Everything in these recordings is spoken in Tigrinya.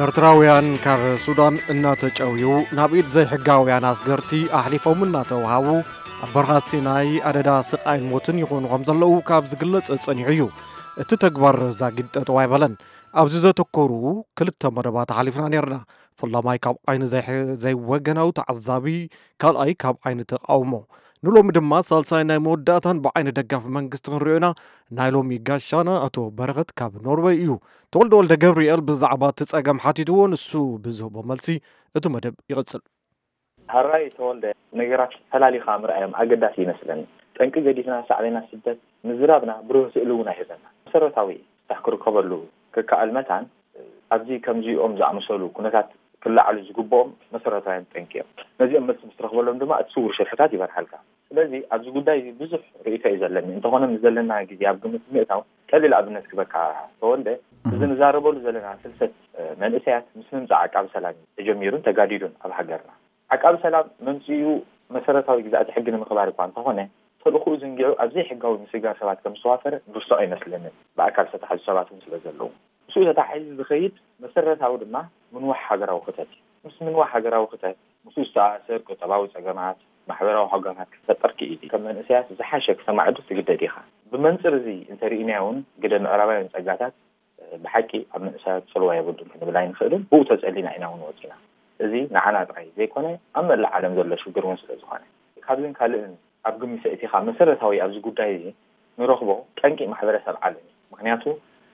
ኤርትራውያን ካብ ሱዳን እናተጨውዩ ናብ ኢድ ዘይሕጋውያን ኣስገርቲ ኣሕሊፎም እናተውሃቡ ኣብ በረኻ ሲናይ ኣደዳ ስቓይን ሞትን ይኾኑ ከም ዘለዉ ካብ ዝግለጽ ጸኒሑ እዩ። እቲ ተግባር ዛጊድ ጠጠው ኣይበለን። ኣብዚ ዘተኮሩ ክልተ መደባት ኣሕሊፍና ነርና። ፈላማይ ካብ ዓይኒ ዘይሕ-፣ ዘይወገናዊ ተዓዛቢ፣ ካልኣይ ካብ ዓይኒ ተቃውሞ። ንሎሚ ድማ ሳልሳይ ናይ መወዳእታን ብዓይኒ ደጋፊ መንግስቲ ክንሪኦ ኢና። ናይ ሎሚ ጋሻና ኣቶ በረኸት ካብ ኖርወይ እዩ። ተወልደ ወልደ ገብርኤል ብዛዕባ እቲ ጸገም ሓቲትዎ፣ ንሱ ብዝህቦ መልሲ እቲ መደብ ይቕጽል። ሃራይ ተወልደ፣ ነገራት ፈላሊኻ ምርኣዮም ኣገዳሲ ይመስለኒ። ጠንቂ ገዲፍና ሳዕቤና ስደት ምዝራብና ብሩህ ስእሊ እውን ኣይህበና። መሰረታዊ ፍታሕ ክርከበሉ ክከኣል መታን ኣብዚ ከምዚኦም ዝኣመሰሉ ኩነታት ክለዓሉ ዝግብኦም መሰረታውያን ጠንቂ እዮም። ነዚኦም መልሲ ምስ ትረኽበሎም ድማ እቲ ስውር ሽርሕታት ይበርሃልካ። ስለዚ ኣብዚ ጉዳይ እዚ ብዙሕ ርእይቶ እዩ ዘለኒ። እንተኾነ ምስ ዘለና ግዜ ኣብ ግምት ምእታው ቀሊል ኣብነት ክበካ ተወልደ፣ እዚ ንዛረበሉ ዘለና ፍልሰት መንእሰያት ምስ ምምፃእ ዓቃቢ ሰላም እዩ ተጀሚሩን ተጋዲዱን ኣብ ሃገርና። ዓቃቢ ሰላም መምፅኡ መሰረታዊ ግዛእቲ ሕጊ ንምኽባር እኳ እንተኾነ፣ ተልእኽኡ ዝንጊዑ ኣብ ዘይሕጋዊ ምስግጋር ሰባት ከም ዝተዋፈረ ንርስዖ ኣይመስለንን፣ ብኣካል ዝተታሕዙ ሰባት እውን ስለ ዘለዉ። ምስኡ ተታሒዙ ዝኸይድ መሰረታዊ ድማ ምንዋሕ ሃገራዊ ክተት እዩ። ምስ ምንዋሕ ሃገራዊ ክተት ምስኡ ዝተኣሳሰር ቁጠባዊ ጸገማት፣ ማሕበራዊ ሃጓፋት ክትፈጥር ክኢል እዩ። ከም መንእሰያት ዝሓሸ ክሰማዕ ዕድል ትግደድ ኢኻ። ብመንጽር እዚ እንተርኢናዮ እውን ግደ ምዕራባውያን ጸጋታት ብሓቂ ኣብ መንእሰያት ጽልዋ የብሉን ክንብል ኣይንኽእልን። ብኡ ተጸሊና ኢና እውን ወጺና። እዚ ንዓና ጥራይ ዘይኮነ ኣብ መላእ ዓለም ዘሎ ሽግር እውን ስለ ዝኾነ። ካብዝን ካልእን ኣብ ግምት ኣእቲኻ መሰረታዊ ኣብዚ ጉዳይ እዚ ንረኽቦ ጠንቂ ማሕበረሰብ ዓለም እዩ። ምኽንያቱ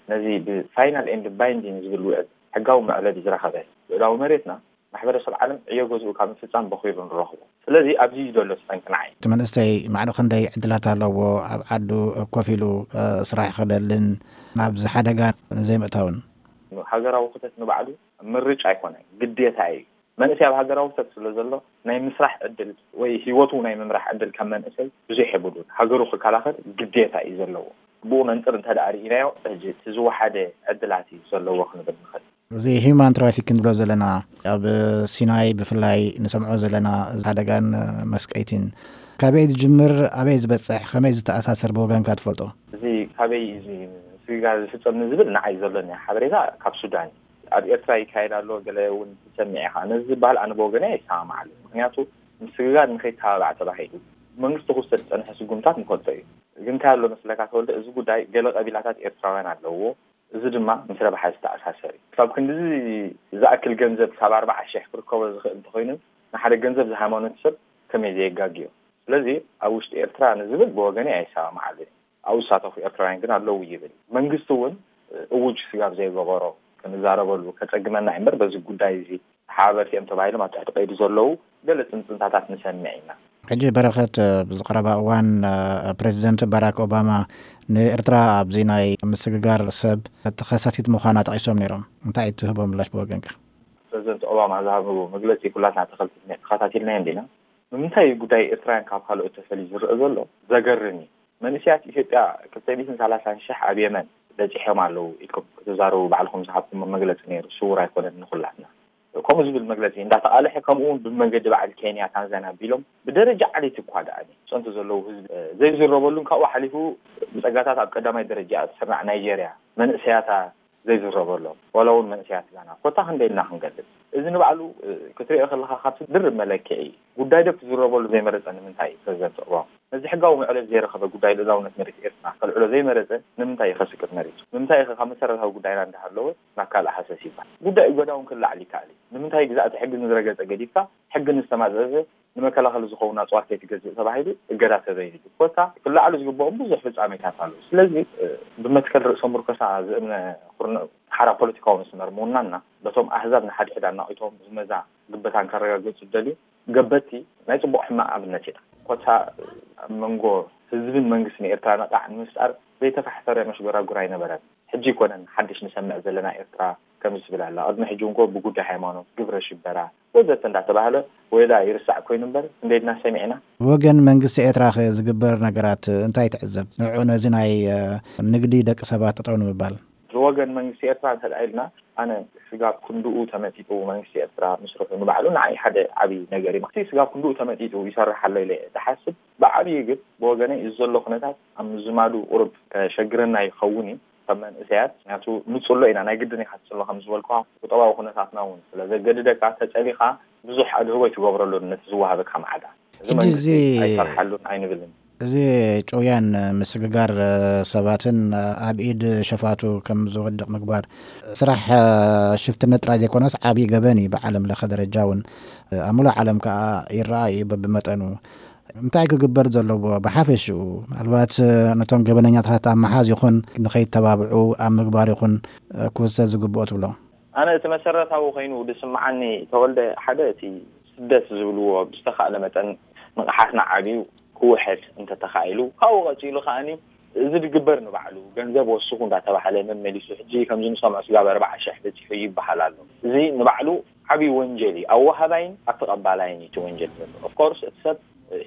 ነዚ ብ final and binding ዝብል ውዕል ሕጋዊ መዕለቢ ዝረኸበ ልኡላዊ መሬትና ማሕበረሰብ ዓለም ዕዮ ገዝኡ ካብ ምፍጻም በኺሩ ንረኽቦ። ስለዚ ኣብዚ እዩ ዘሎ እቲ ጠንቂ ንዓይ። እቲ መንእሰይ ማዕረ ክንደይ ዕድላት ኣለዎ ኣብ ዓዱ ኮፍ ኢሉ ስራሕ ክደልን ናብዚ ሓደጋ ንዘይምእታውን? ሃገራዊ ክተት ንባዕሉ ምርጫ ኣይኮነን፣ ግዴታ እዩ። መንእሰይ ኣብ ሃገራዊ ክተት ስለ ዘሎ ናይ ምስራሕ ዕድል ወይ ህይወቱ ናይ ምምራሕ ዕድል ካብ መንእሰይ ብዙሕ የብሉን። ሃገሩ ክከላኸል ግዴታ እዩ ዘለዎ። ብኡ መንፅር እንተ ደኣ ርኢናዮ ሕጂ እቲ ዝወሓደ ዕድላት እዩ ዘለዎ ክንብል ንኽእል። እዚ human trafficking ንብሎ ዘለና ኣብ ሲናይ ብፍላይ ንሰምዖ ዘለና ሓደጋን መስቀይቲን ካበይ ዝጅምር ኣበይ ዝበፅሕ ከመይ ዝተኣሳሰር ብወገንካ ትፈልጦ? እዚ ካበይ እዩ እዚ ስግጋር ዝፍፀም ንዝብል ንዓይ ዘሎኒ ሓበሬታ ካብ ሱዳን እዩ። ኣብ ኤርትራ ይካየድ ኣሎ ገለ እውን ትሰምዕ ኢኻ። ነዚ ዝበሃል ኣነ ብወገነይ ኣይሰማማዓሉን። ምኽንያቱ ምስግጋር ንኸይተባባዕ ተባሂሉ ብመንግስቲ ክውሰድ ዝፀንሐ ስጉምታት ንፈልጦ እዩ። ግን እንታይ ኣሎ መስለካ ተወልደ፣ እዚ ጉዳይ ገለ ቀቢላታት ኤርትራውያን ኣለውዎ። እዚ ድማ ምስ ረብሓ ዝተኣሳሰር እዩ። ክሳብ ክንድዚ ዝኣክል ገንዘብ ክሳብ ኣርባዓ ሽሕ ክርከቦ ዝኽእል እንተኾይኑ ንሓደ ገንዘብ ዝሃይማኖት ሰብ ከመይ ዘየጋግዮ። ስለዚ ኣብ ውሽጢ ኤርትራ ንዝብል ብወገነይ ኣይሰማማዓሉን። ኣብኡ ዝሳተፉ ኤርትራውያን ግን ኣለዉ ይብል። መንግስቲ እውን እውጅ ስጋብ ዘይገበሮ ክንዛረበሉ ከጸግመና እዩ እምበር በዚ ጉዳይ እዚ ተሓባበርቲ እዮም ተባሂሎም ኣብ ትሕቲ ቀይዲ ዘለዉ ገለ ጽንጽንታታት ንሰምዕ ኢና። ሕጂ በረኸት ኣብዚ ቀረባ እዋን ፕሬዚደንት ባራክ ኦባማ ንኤርትራ ኣብዚ ናይ ምስግጋር ሰብ ተኸሳሲት ምዃና ጠቒሶም ነይሮም። እንታይ እዩ ትህቦ ምላሽ ብወገንካ? ፕሬዚደንት ኦባማ ዝሃብዎ መግለጺ ኩላትና ተኸታቲልናዮ እንዲና። ንምንታይ እዩ ጉዳይ ኤርትራውያን ካብ ካልኦት ተፈልዩ ዝረአ ዘሎ ዘገርም እዩ። መንእሰያት ኢትዮጵያ ክልተ ሚእትን ሰላሳን ሽሕ ኣብ የመን በጺሖም ኣለዉ ኢልኩም ክትዛረቡ ባዕልኹም ዝሃብኩሞ መግለጺ ነይሩ፣ ስዉር ኣይኮነን ንኹላትና። ከምኡ ዝብል መግለጺ እንዳተቓልሐ ከምኡ እውን ብመንገዲ በዓል ኬንያ፣ ታንዛንያ ኣቢሎም ብደረጃ ዓሌት እኳ ደኣ ጽንቶ ዘለዉ ህዝቢ ዘይዝረበሉን ካብኡ ሓሊፉ ብጸጋታት ኣብ ቀዳማይ ደረጃ እትስራዕ ናይጀርያ መንእሰያታ ዘይዝረበሎም ዋላ እውን መንእሰያት ጋና ኮታ ክንደይ ኢልና ክንገልጽ። እዚ ንባዕሉ ክትሪኦ ከለኻ ካብቲ ድርብ መለክዒ እዩ። ጉዳይ ዶ ክዝረበሉ ዘይመረጸ ንምንታይ እዩ ፕረዚደንት ኦባማ? ነዚ ሕጋዊ መዕለቢ ዘይረኸበ ጉዳይ ልኡላውነት መሬት ኤርትራ ከልዕሎ ዘይመረጸ ንምንታይ እዩ ከስቅጥ መሪጹ? ንምንታይ ኢኸ ካብ መሰረታዊ ጉዳይና እንዳሃለወ ናብ ካልእ ሃሰስ ይባሃል? ጉዳይ እገዳ እውን ክለዓል ይከኣል እዩ። ንምንታይ ግዛእቲ ሕጊ ንዝረገጸ ገዲፍካ ሕጊ ንዝተማዘዘ ንመከላኸሊ ዝኸውን ኣፅዋር ከይትገዝእ ተባሂሉ እገዳ ተበይንሉ። ኮታ ክለዓሉ ዝግብኦም ብዙሕ ፍፃሜታት ኣለዉ። ስለዚ ብመትከል ርእሰ ምርኮሳ ዝእምነ ኩርንዕ ሓራ ፖለቲካዊ መስመር ምውናንና በቶም ኣህዛብ ንሓድሕድ ኣናቒቶም ዝመዛ ግበታን ከረጋግፁ ዝደልዩ ገበቲ ናይ ፅቡቕ ሕማቕ ኣብነት ኢና። ኮታ ኣብ መንጎ ህዝብን መንግስትን ኤርትራ ነቓዕ ንምፍጣር ዘይተፋሕፈረ መሽጎራጉር ኣይነበረን። ሕጂ ኣይኮነን ሓድሽ ንሰምዕ ዘለና ኤርትራ ከምዚ ትብል ኣላ። ቅድሚ ሕጂ እንኮ ብጉዳይ ሃይማኖት፣ ግብረ ሽበራ ወዘተ እንዳተባህለ ወይላ ይርሳዕ ኮይኑ እምበር ክንደይ ድና ሰሚዕና? ብወገን መንግስቲ ኤርትራኸ ዝግበር ነገራት እንታይ ትዕዘብ? ንዕኡ ነዚ ናይ ንግዲ ደቂ ሰባት ጠጠው ንምባል? ብወገን መንግስቲ ኤርትራ እንተ ኢልና ኣነ ስጋብ ክንድኡ ተመጢጡ መንግስቲ ኤርትራ ምስርሑ ንባዕሉ ንዓይ ሓደ ዓብዪ ነገር እዩ። እቲ ስጋብ ክንድኡ ተመጢጡ ይሰርሕ ኣሎ ኢለ እየ ዝሓስብ። ብዓብዪ ግን ብወገነይ እዚ ዘሎ ኩነታት ኣብ ምዝማዱ ቁሩብ ከሸግረና ይኸውን እዩ። ከም መንእሰያት፣ ምክንያቱ ንጽሎ ኢና፣ ናይ ግድን ኢኻ ትጽሎ፣ ከም ዝበልኳ ቁጠባዊ ኩነታትና እውን ስለ ዘገድደካ፣ ተጸሊኻ ብዙሕ ኣድህቦ ኣይትገብረሉን ነቲ ዝወሃበካ ማዕዳ። እዚ ሕጂ መንግስቲ እዚ ኣይሰርሓሉን ኣይንብልን። እዚ ጭውያን ምስግጋር ሰባትን ኣብ ኢድ ሸፋቱ ከም ዝወድቕ ምግባር፣ ስራሕ ሽፍትነት ጥራይ ዘይኮነስ ዓብዪ ገበን እዩ። ብዓለም ለኸ ደረጃ እውን ኣብ ሙሉእ ዓለም ከዓ ይረኣ እዩ በብመጠኑ። እንታይ ክግበር ዘለዎ ብሓፈሽኡ? ምናልባት ነቶም ገበነኛታት ኣብ ምሓዝ ይኹን፣ ንኸይተባብዑ ኣብ ምግባር ይኹን፣ ክውሰድ ዝግብኦ ትብሎ? ኣነ እቲ መሰረታዊ ኮይኑ ዝስምዓኒ፣ ተወልደ፣ ሓደ እቲ ስደት ዝብልዎ ብዝተኻእለ መጠን ንቕሓትና ዓብዩ ክውሕድ እንተተኻኢሉ፣ ካብኡ ቀፂሉ ከኣኒ እዚ ዝግበር ንባዕሉ ገንዘብ ወስኹ እንዳተባሃለ መመሊሱ፣ ሕጂ ከምዚ ንሰምዖ ስጋብ ኣርባዓ ሽሕ በፂሑ ይበሃል ኣሎ። እዚ ንባዕሉ ዓብዪ ወንጀል እዩ። ኣብ ወሃባይን ኣብ ተቐባላይን እዩ እቲ ወንጀል ዘሎ። ኦፍኮርስ እቲ ሰብ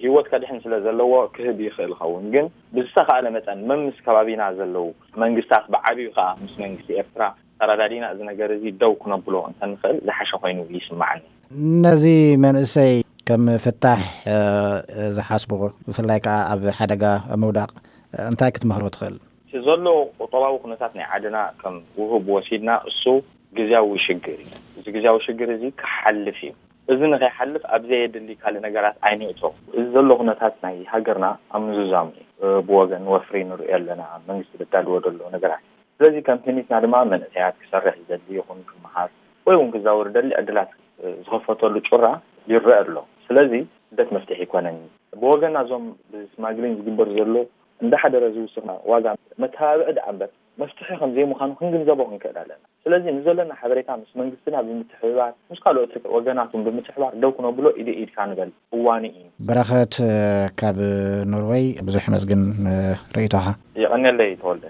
ህይወት ከድሕን ስለ ዘለዎ ክህብ ይኽእል ይኸውን፣ ግን ብዝተኻእለ መጠን መምስ ከባቢና ዘለዉ መንግስታት፣ ብዓብዩ ከዓ ምስ መንግስቲ ኤርትራ ተረዳዲና እዚ ነገር እዚ ደው ክነብሎ እንተንኽእል ዝሓሸ ኮይኑ ይስምዓኒ። ነዚ መንእሰይ ከም ፍታሕ ዝሓስቡ፣ ብፍላይ ከዓ ኣብ ሓደጋ ምውዳቕ እንታይ ክትመኽሮ ትኽእል? እቲ ዘሎ ቁጠባዊ ኩነታት ናይ ዓድና ከም ውሁብ ወሲድና፣ እሱ ግዝያዊ ሽግር እዩ። እዚ ግዝያዊ ሽግር እዚ ክሓልፍ እዩ። እዚ ንኸይሓልፍ ኣብ ዘየድሊ ካልእ ነገራት ኣይንእቶ። እዚ ዘሎ ኩነታት ናይ ሃገርና ኣብ ምዝዛሙ እዩ። ብወገን ወፍሪ ንሪኦ ኣለና፣ መንግስቲ ዘዳልዎ ዘሎ ነገራት። ስለዚ ከም ፕኒትና ድማ መንእሰያት ክሰርሕ ዝደሊ ይኹን ክመሃር ወይ እውን ክዛወር ደሊ ዕድላት ዝኸፈተሉ ጩራ ይረአ ኣሎ። ስለዚ ስደት መፍትሒ ኣይኮነን። ብወገና እዞም ብስማግሊን ዝግበር ዘሎ እንዳሓደረ ዝውስኽና ዋጋ መተባብዒ ደኣ እምበር መፍትሒ ከም ዘይምዃኑ ክንግንዘቦ ክንክእል ኣለና። ስለዚ ንዘለና ሓበሬታ ምስ መንግስትና ብምትሕብባር፣ ምስ ካልኦት ወገናትን ብምትሕባር ደው ክነብሎ ኢደ ኢድካ ንበል። እዋኑ እዩ። በረኸት ካብ ኖርወይ፣ ብዙሕ መስግን ርእይቶኻ። የቐንየለይ ተወልደ።